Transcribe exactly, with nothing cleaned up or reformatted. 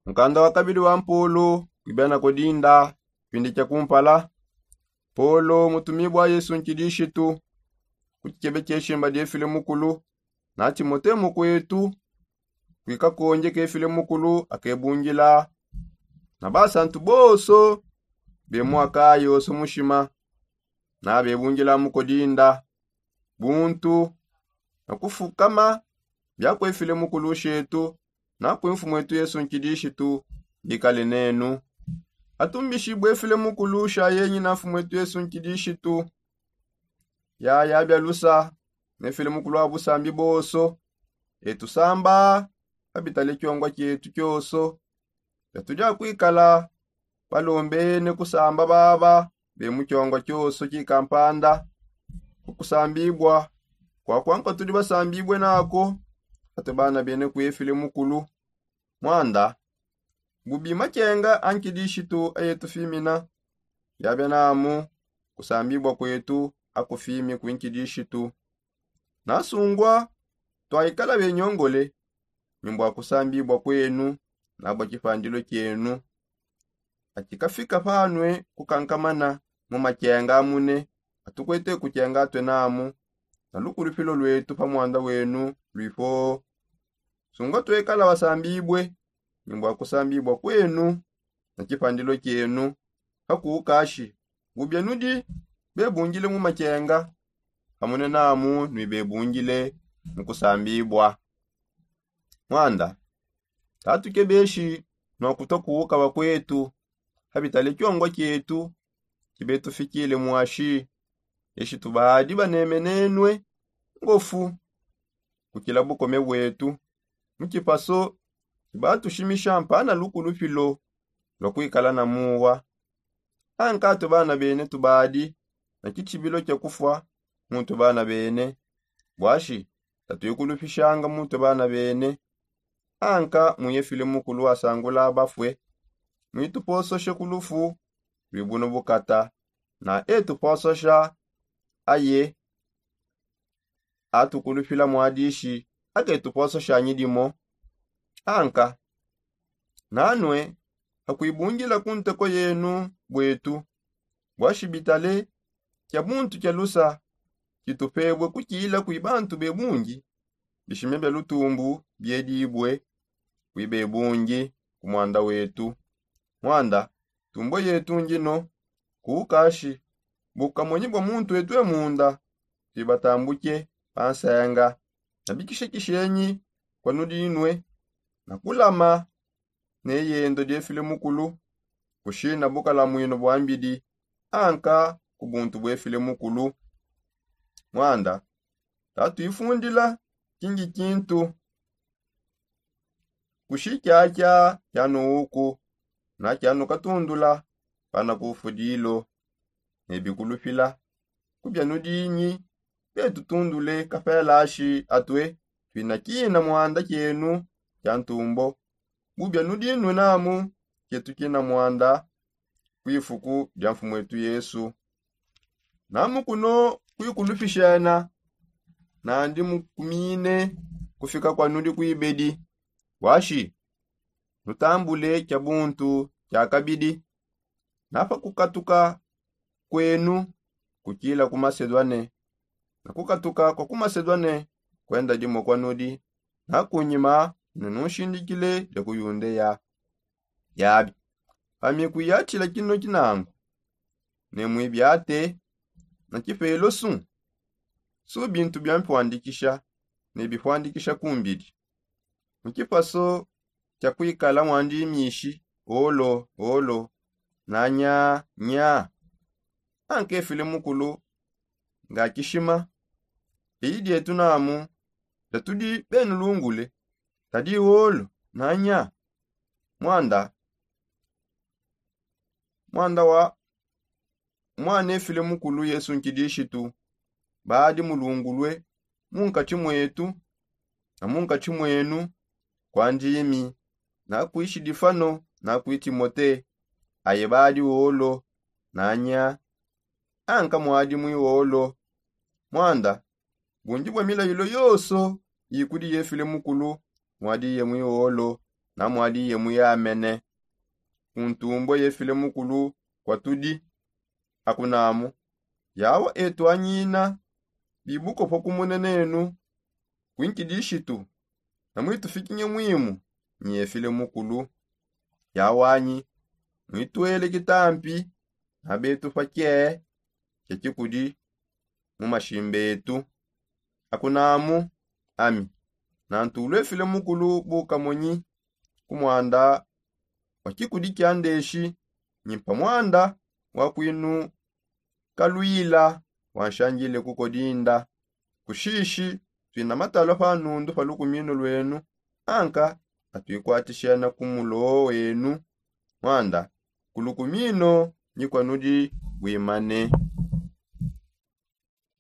Mukanda wa kabidi wa mpolo kuibia na kodinda. Pindi kia kumpala, polo mutumibua yesu nkidishitu kutshebe tshia shimba dia filemukulu na timote mukuetu kuikakonje ke filemukulu akebungila na basantu bonso bemua kayi onso mushima na bebungila mukodinda buntu na kufukama biakuefile mukulu shetu na kue mfumu etu yesu nkidishitu bikale nenu. Atumbishibue efile mukulu sha yenyi na mfumu etu yesu nkidishitu yaya bialusa nefile mukulu wa busambi bonso etusamba pa bitale kiongua kietu kionso. Biatudi akuikala balombene kusamba baba be mu kiongua kionso kikampanda ku kusambibua kuakua nkua tudi basambibue nako. Atue bana bene kuefile mukulu muanda bubi makenga a nkidishitu ayetufimina. Biabia namu kusambibua kuetu akufimi kue nkidishitu nasungua twaikala benyongole. Ni mbua kusambibua kuenu na bua kipandilo kienu akikafika panue kukankamana mu makenga amune atukuete kukenga atue namu na lukulupilo luetu pa muanda wenu luipoo. Sungua tuekala basambibue ni mbua kusambibua kuenu na kipandilo kienu kakukashi bubia nudi bebungile mu makenga pamune namu nui bebungile mu kusambibua. Muanda tatukebeshi nua kutua kuuka bakuetu pa bitale kiongua kietu kibetufikile muashi. Eshi tubadi banemenenue ngofu kukila bukome buetu mu kipaso kibatushimisha mpana lukulupilo lua kuikala na muwa. Anka atue bana bene tubadi na kitshibilo kia kufua mutue bana bene buashi tatuikulupishanga mutue bana bene. Anka muye file mukulu wasangula bafue muitupososhe ku lufu luibuna bukata na etupososha aye atukulupila muadishi aketupososha nyidimo. Anka nanue akuibungila ku nteko yenu buetu buashi bitale kia buntu kia lusa kitupebue kukila kui bantu bebungi bishima bia lutumbu biedibue kui bebungi ku muanda wetu. Muanda tumbue yetu ngino kukashi bukamonyi bua muntu etue munda tuibatambuke pa nsenga na bikishekishenyi kua nudinue na kulama ne yendo diefile mukulu kushina bukalamuinu bua mbidi anka ku buntu buefile mukulu. Muanda tatuifundila kingi kintu kushi kiakia kianuuku na kianukatundula pana ku fudilo ne bikulupila kubia nudinyi petutundule kapelashi atue tuinakina muanda kienu kia ntumbo bubia nudinue namu kietu kina muanda ku ifuku dia mfumu etu yesu. Namu kuno kuikulupishena nandi mukumine kufika kua nudi kuibedi buashi nutambule kia buntu kia kabidi na pa kukatuka kuenu kukila ku masedwane na kukatuka kua ku masedwane kuenda dimue kua nudi na kunyima ne nunshindikile dia ku yundeya. Yabi pamiku ya tshila kino kinangu ne muibiate na kipelo su su bintu bia mpuandikisha ne bipuandikisha kumbidi mu kipaso kia kuikala muandimishi olo olo na nya nya. Ankefile mukulu nga kishima eyi dietu namu datudi benu lungule tadi olo na nya. Muanda muanda wa muanefile mukulu yesu nkidishitu baadi mulungulue munkatshi muetu na munkatshi muenu kua ndimi na kui shidifano na kui timote aye baadi wolo na nya. Anka muadi mui wolo muanda bundi bua milayilo yonso ikudi yefile mukulu muadi ye mui wolo Namwadiye muyamene kuntumbue yefile mukulu kwa tudi. Akunamu yawa etu anyina bibuko pa kumunenenu kuinkidishitu. Namwitufikinye mwimu nyefile mukulu yawanyi mwituele kitampi na betu pa kye kye kikudi mu mashimba etu. Akunamu ami nantulwefile mukulu bukamonyi ku mwanda wa kikudi kya ndeshi nyimpa mwanda wa kwinu kalwila wanshanjile kukodinda. Kushishi twina matalwa pa nundu pa lukumino lwenu anka atwikwatishena ku mulo wenu. Mwanda ku lukumino nyikwanudi bwimane.